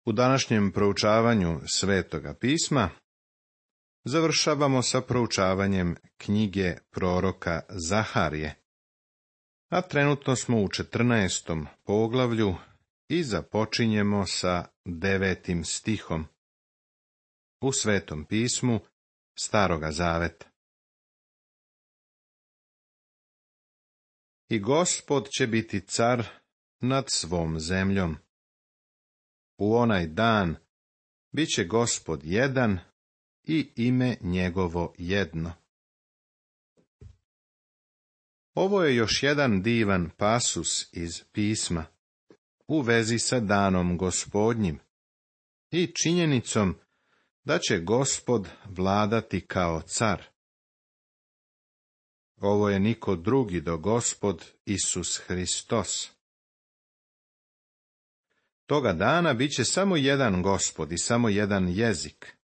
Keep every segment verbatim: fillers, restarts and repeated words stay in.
U današnjem proučavanju Svetoga pisma završavamo sa proučavanjem knjige proroka Zaharije, a trenutno smo u četrnaestom poglavlju i započinjemo sa devetim stihom u Svetom pismu Staroga zaveta. I Gospod će biti car nad svom zemljom. U onaj dan bit će Gospod jedan i ime njegovo jedno. Ovo je još jedan divan pasus iz pisma u vezi sa danom Gospodnjim i činjenicom da će Gospod vladati kao car. Ovo je niko drugi do Gospod Isus Hristos. Toga dana bit će samo jedan Gospod i samo jedan jezik.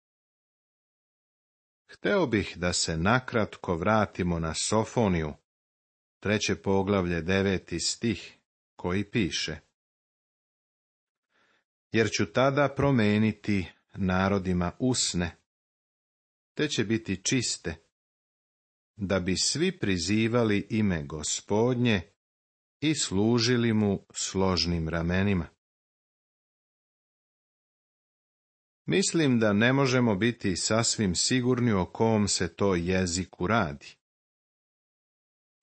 Hteo bih da se nakratko vratimo na Sofoniju, treće poglavlje, deveti stih, koji piše: Jer ću tada promeniti narodima usne, te će biti čiste, da bi svi prizivali ime Gospodnje i služili mu složnim ramenima. Mislim da ne možemo biti sasvim sigurni o kom se to jeziku radi.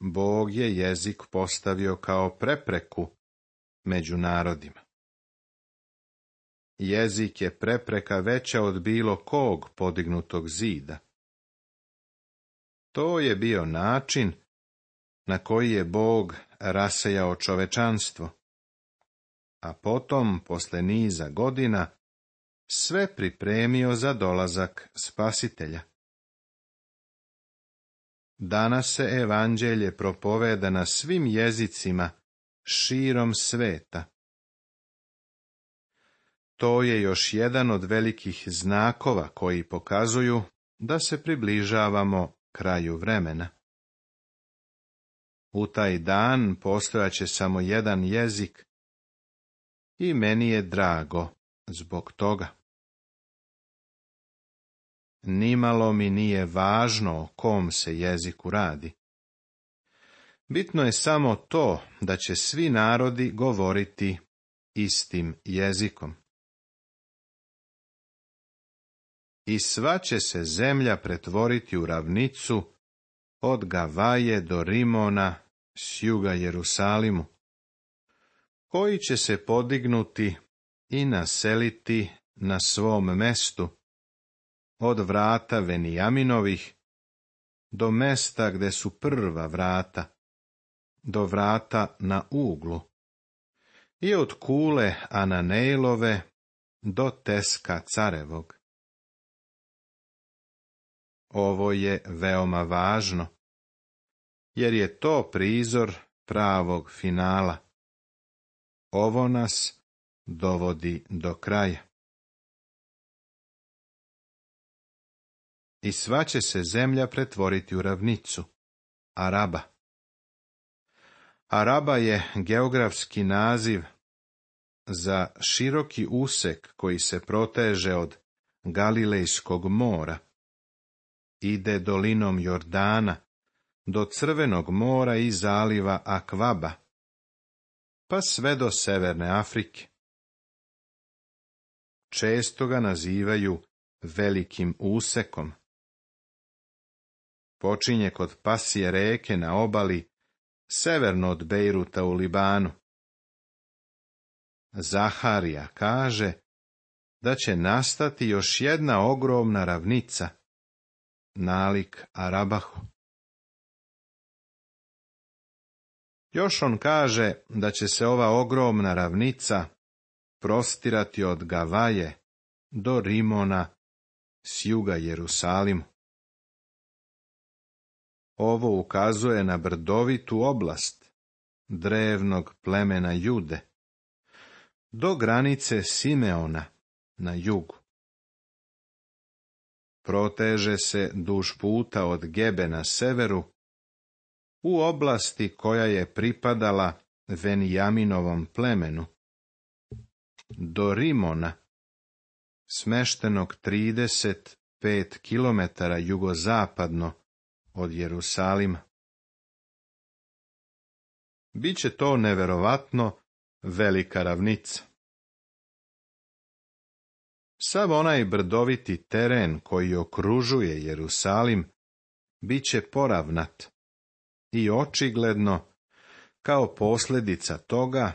Bog je jezik postavio kao prepreku među narodima. Jezik je prepreka veća od bilo kog podignutog zida. To je bio način na koji je Bog rasejao čovečanstvo, a potom, posle niza godina, sve pripremio za dolazak Spasitelja. Danas se evanđelje propoveda na svim jezicima širom sveta. To je još jedan od velikih znakova koji pokazuju da se približavamo kraju vremena. U taj dan postojaće samo jedan jezik i meni je drago zbog toga. Nimalo mi nije važno o kom se jeziku radi. Bitno je samo to da će svi narodi govoriti istim jezikom. I sva će se zemlja pretvoriti u ravnicu od Gavaje do Rimona s juga Jerusalimu, koji će se podignuti i naseliti na svom mestu, od vrata Venijaminovih do mesta gde su prva vrata, do vrata na uglu, i od kule Ananejlove do Teska carevog. Ovo je veoma važno, jer je to prizor pravog finala. Ovo nas dovodi do kraja. I sva će se zemlja pretvoriti u ravnicu, Araba. Araba je geografski naziv za široki usek koji se proteže od Galilejskog mora, ide dolinom Jordana do Crvenog mora i zaliva Akvaba, pa sve do Severne Afrike. Često ga nazivaju velikim usekom. Počinje kod Pasije reke na obali, severno od Bejruta u Libanu. Zaharija kaže da će nastati još jedna ogromna ravnica, nalik Arabahu. Još on kaže da će se ova ogromna ravnica prostirati od Gavaje do Rimona s juga Jerusalimu. Ovo ukazuje na brdovitu oblast drevnog plemena Jude, do granice Simeona na jugu. Proteže se duž puta od Gebe na severu, u oblasti koja je pripadala Venijaminovom plemenu, do Rimona smeštenog trideset pet kilometara jugozapadno od Jerusalima. Biće to neverovatno velika ravnica. Sav onaj brdoviti teren koji okružuje Jerusalim bit će poravnat i očigledno, kao posljedica toga,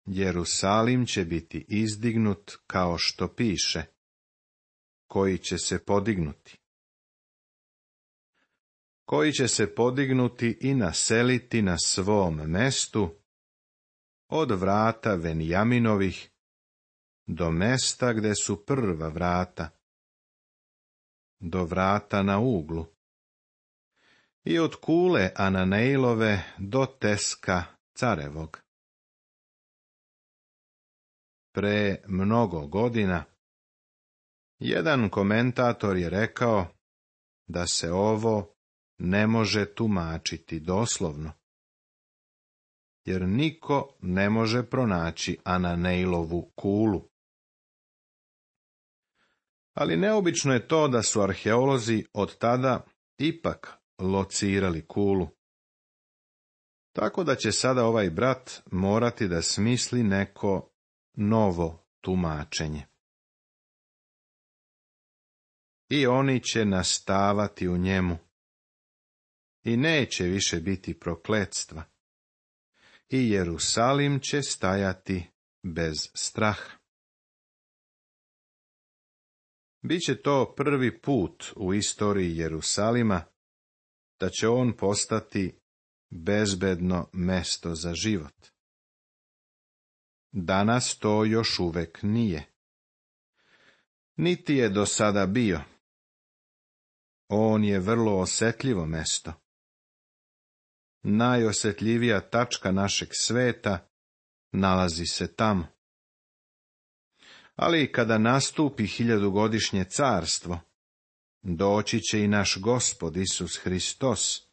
Jerusalim će biti izdignut kao što piše, koji će se podignuti. Koji će se podignuti i naseliti na svom mestu, od vrata Venjaminovih do mesta gde su prva vrata, do vrata na uglu, i od kule Ananejlove do Teska Carevog. Pre mnogo godina, jedan komentator je rekao da se ovo ne može tumačiti doslovno, jer niko ne može pronaći Ananejlovu kulu. Ali neobično je to da su arheolozi od tada ipak locirali kulu. Tako da će sada ovaj brat morati da smisli neko novo tumačenje. I oni će nastavati u njemu. I neće više biti prokletstva. I Jerusalim će stajati bez straha. Biće to prvi put u istoriji Jerusalima da će on postati bezbedno mesto za život. Danas to još uvek nije. Niti je do sada bio. On je vrlo osjetljivo mesto. Najosjetljivija tačka našeg sveta nalazi se tamo. Ali kada nastupi hiljadugodišnje carstvo, doći će i naš Gospod Isus Hristos.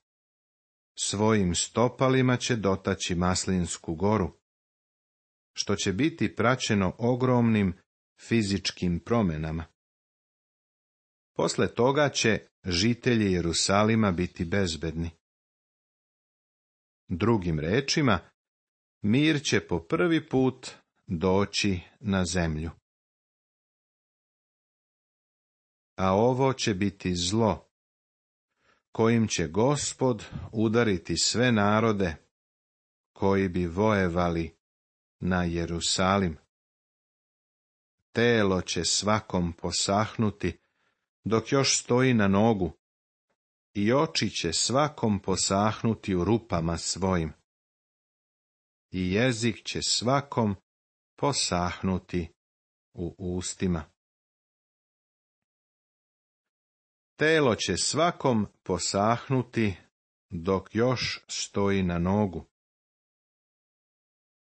Svojim stopalima će dotaći Maslinsku goru, što će biti praćeno ogromnim fizičkim promjenama. Posle toga će žitelji Jerusalima biti bezbedni. Drugim rečima, mir će po prvi put doći na zemlju. A ovo će biti zlo, kojim će Gospod udariti sve narode koji bi vojevali na Jerusalim. Telo će svakom posahnuti dok još stoji na nogu, i oči će svakom posahnuti u rupama svojim, i jezik će svakom posahnuti u ustima. Telo će svakom posahnuti dok još stoji na nogu.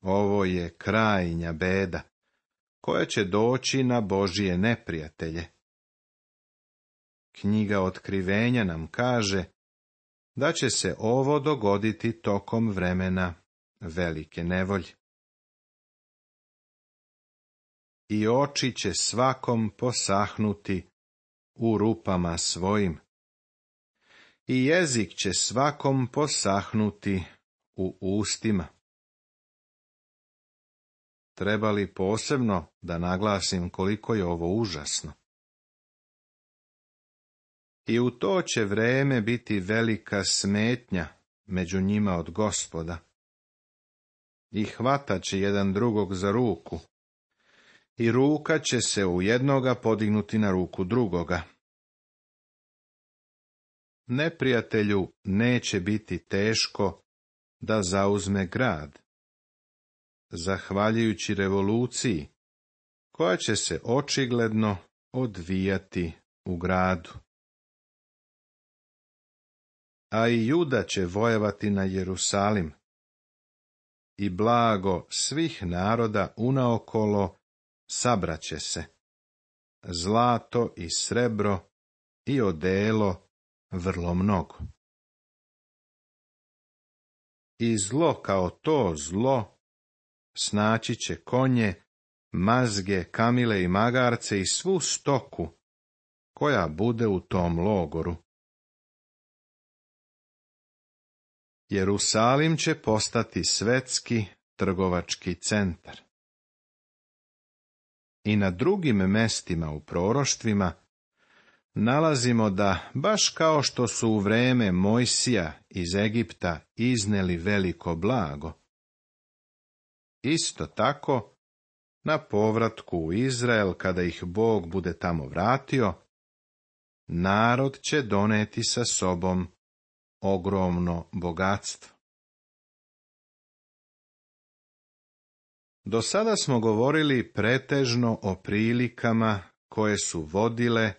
Ovo je krajnja beda, koja će doći na Božije neprijatelje. Knjiga Otkrivenja nam kaže da će se ovo dogoditi tokom vremena velike nevolje. I oči će svakom posahnuti u rupama svojim, i jezik će svakom posahnuti u ustima. Treba li posebno da naglasim koliko je ovo užasno? I u to će vreme biti velika smetnja među njima od Gospoda. I hvatat će jedan drugog za ruku, i ruka će se u jednoga podignuti na ruku drugoga. Neprijatelju neće biti teško da zauzme grad, zahvaljujući revoluciji, koja će se očigledno odvijati u gradu. A i Juda će vojevati na Jerusalim, i blago svih naroda unaokolo sabraće se, zlato i srebro i odelo vrlo mnogo. I zlo kao to zlo snaći će konje mazge, kamile i magarce i svu stoku koja bude u tom logoru. Jerusalim će postati svetski trgovački centar. I na drugim mestima u proroštvima nalazimo da, baš kao što su u vreme Mojsija iz Egipta izneli veliko blago, isto tako, na povratku u Izrael, kada ih Bog bude tamo vratio, narod će doneti sa sobom ogromno bogatstvo. Do sada smo govorili pretežno o prilikama koje su vodile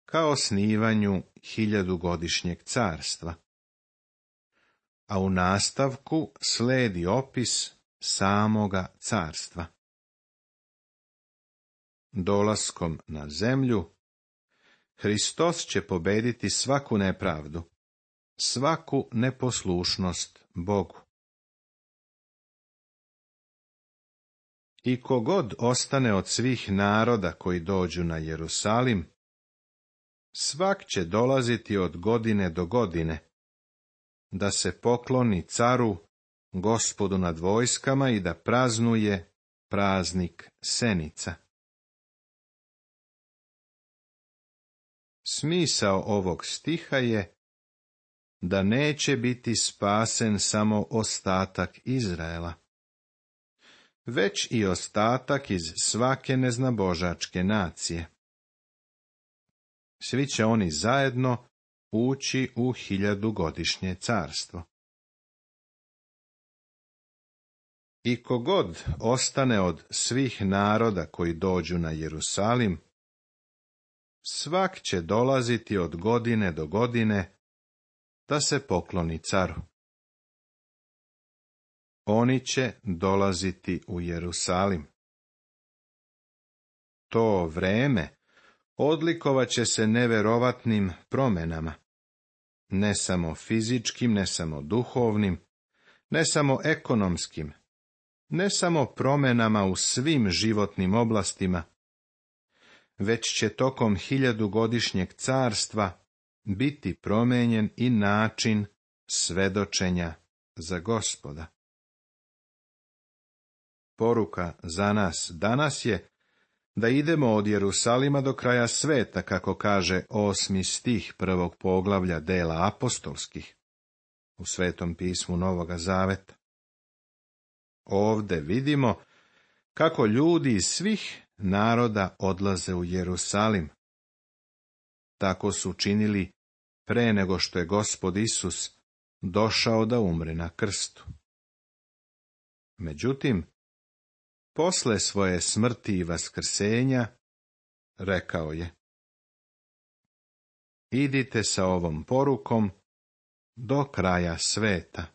ka osnivanju hiljadugodišnjeg carstva. A u nastavku sledi opis samoga carstva. Dolaskom na zemlju, Hristos će pobediti svaku nepravdu, svaku neposlušnost Bogu. I kogod ostane od svih naroda koji dođu na Jerusalim, svak će dolaziti od godine do godine, da se pokloni caru, Gospodu nad vojskama i da praznuje praznik Senica. Smisao ovog stiha je da neće biti spasen samo ostatak Izraela, već i ostatak iz svake neznabožačke nacije. Svi će oni zajedno ući u hiljadugodišnje carstvo. I kogod ostane od svih naroda koji dođu na Jerusalim, svak će dolaziti od godine do godine da se pokloni caru. Oni će dolaziti u Jerusalim. To vreme odlikovat će se neverovatnim promjenama, ne samo fizičkim, ne samo duhovnim, ne samo ekonomskim, ne samo promjenama u svim životnim oblastima, već će tokom hiljadugodišnjeg carstva biti promijenjen i način svedočenja za Gospoda. Poruka za nas danas je da idemo od Jerusalima do kraja sveta, kako kaže osmi stih prvog poglavlja dela apostolskih u Svetom pismu Novoga Zaveta. Ovde vidimo kako ljudi iz svih naroda odlaze u Jerusalim. Tako su činili pre nego što je Gospod Isus došao da umre na krstu. Međutim, posle svoje smrti i vaskrsenja, rekao je: idite sa ovom porukom do kraja sveta.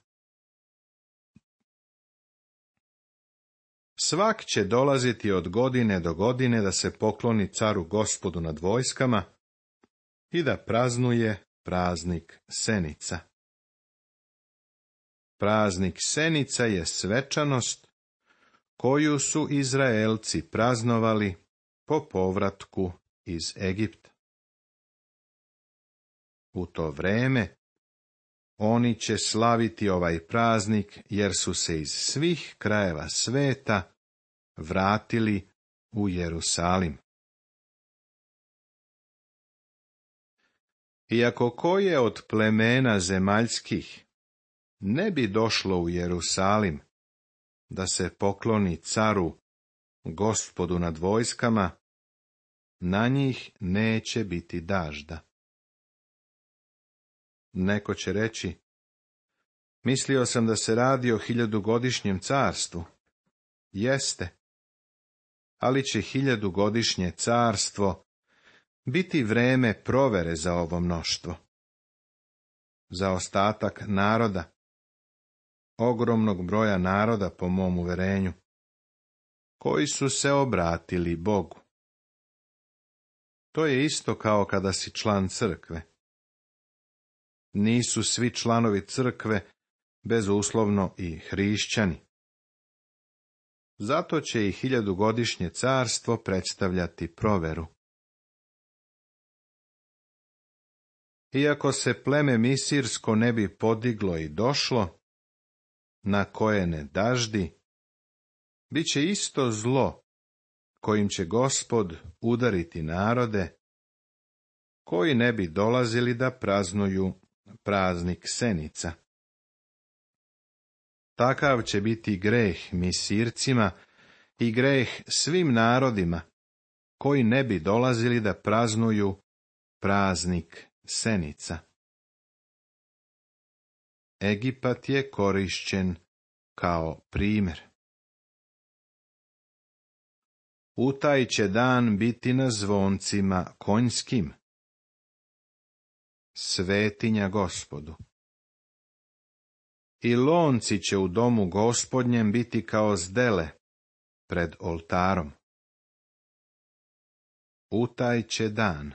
Svak će dolaziti od godine do godine da se pokloni caru Gospodu nad vojskama i da praznuje praznik Senica. Praznik Senica je svečanost koju su Izraelci praznovali po povratku iz Egipta. U to vreme oni će slaviti ovaj praznik jer su se iz svih krajeva sveta vratili u Jerusalim. Iako koje od plemena zemaljskih ne bi došlo u Jerusalim da se pokloni caru, Gospodu nad vojskama, na njih neće biti dažda. Neko će reći: mislio sam da se radi o hiljadugodišnjem carstvu. Jeste, ali će hiljadugodišnje carstvo biti vreme provere za ovo mnoštvo. Za ostatak naroda, ogromnog broja naroda po mom uverenju, koji su se obratili Bogu. To je isto kao kada si član crkve. Nisu svi članovi crkve bezuslovno i hrišćani. Zato će i hiljadugodišnje carstvo predstavljati proveru. Iako se pleme Misirsko ne bi podiglo i došlo, na koje ne daždi, bit će isto zlo, kojim će Gospod udariti narode, koji ne bi dolazili da praznuju praznik Senica. Takav će biti greh Misircima i greh svim narodima, koji ne bi dolazili da praznuju praznik Senica. Egipat je korišćen kao primjer. U taj će dan biti na zvoncima konjskim. Svetinja Gospodu. I lonci će u domu Gospodnjem biti kao zdele pred oltarom. U taj će dan.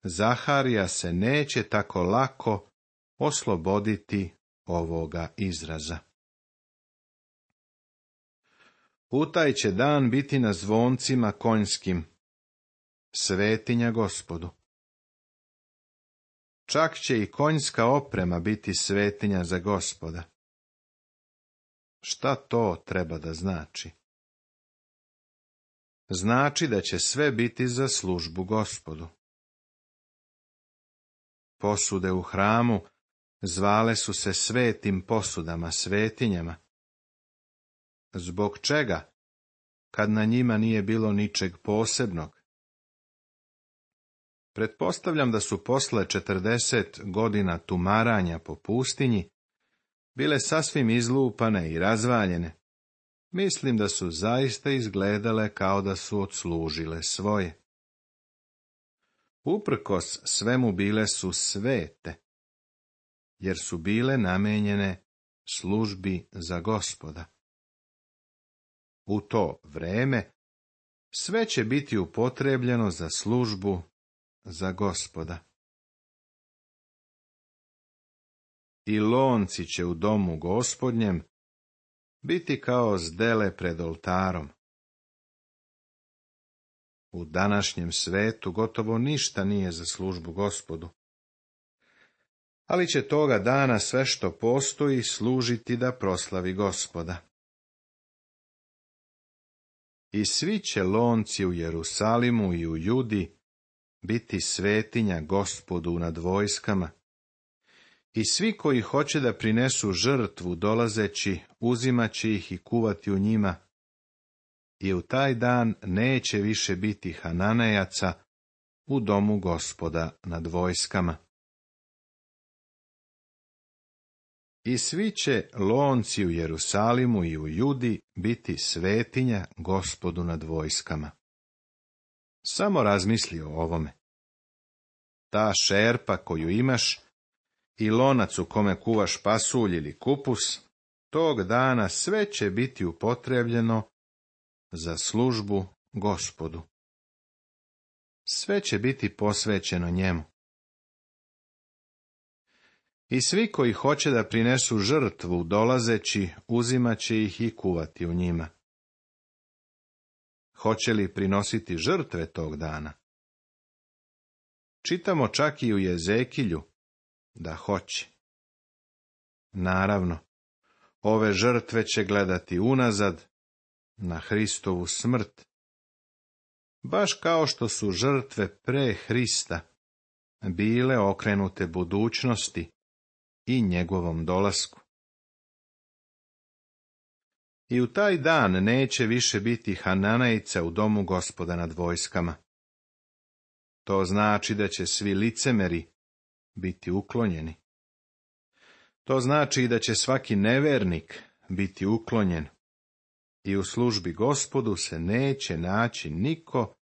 Zaharija se neće tako lako osloboditi ovoga izraza. U taj će dan biti na zvoncima konjskim. Svetinja Gospodu. Čak će i konjska oprema biti svetinja za Gospoda. Šta to treba da znači? Znači da će sve biti za službu Gospodu. Posude u hramu zvale su se svetim posudama, svetinjama. Zbog čega, kad na njima nije bilo ničeg posebnog? Pretpostavljam da su posle četrdeset godina tumaranja po pustinji bile sasvim izlupane i razvaljene. Mislim da su zaista izgledale kao da su odslužile svoje. Uprkos svemu bile su svete, jer su bile namenjene službi za Gospoda. U to vreme sve će biti upotrebljeno za službu za Gospoda. I lonci će u domu Gospodnjem biti kao zdele pred oltarom. U današnjem svetu gotovo ništa nije za službu Gospodu. Ali će toga dana sve što postoji služiti da proslavi Gospoda. I svi će lonci u Jerusalimu i u Judi biti svetinja Gospodu nad vojskama. I svi koji hoće da prinesu žrtvu dolazeći, uzimaće ih i kuvati u njima. I u taj dan neće više biti Hananejaca u domu Gospoda nad vojskama. I svi će lonci u Jerusalimu i u Judi biti svetinja Gospodu nad vojskama. Samo razmisli o ovome. Ta šerpa koju imaš i lonac u kome kuvaš pasulj ili kupus, tog dana sve će biti upotrebljeno za službu Gospodu. Sve će biti posvećeno njemu. I svi koji hoće da prinesu žrtvu dolazeći, uzimaće ih i kuvati u njima. Hoće li prinositi žrtve tog dana? Čitamo čak i u Jezekilju da hoće. Naravno, ove žrtve će gledati unazad na Hristovu smrt, baš kao što su žrtve pre Hrista bile okrenute budućnosti i njegovom dolasku. I u taj dan neće više biti Hananejca u domu Gospoda nad vojskama. To znači da će svi licemeri biti uklonjeni. To znači da će svaki nevernik biti uklonjen. I u službi Gospodu se neće naći niko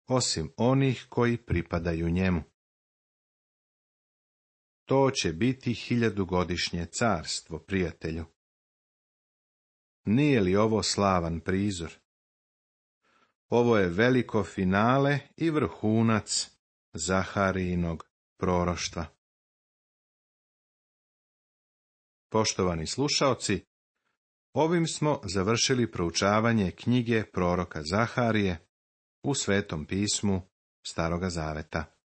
osim onih koji pripadaju njemu. To će biti hiljadugodišnje carstvo, prijatelju. Nije li ovo slavan prizor? Ovo je veliko finale i vrhunac Zaharijinog proroštva. Poštovani slušaoci, Ovim smo završili proučavanje knjige proroka Zaharije u Svetom pismu Staroga Zaveta.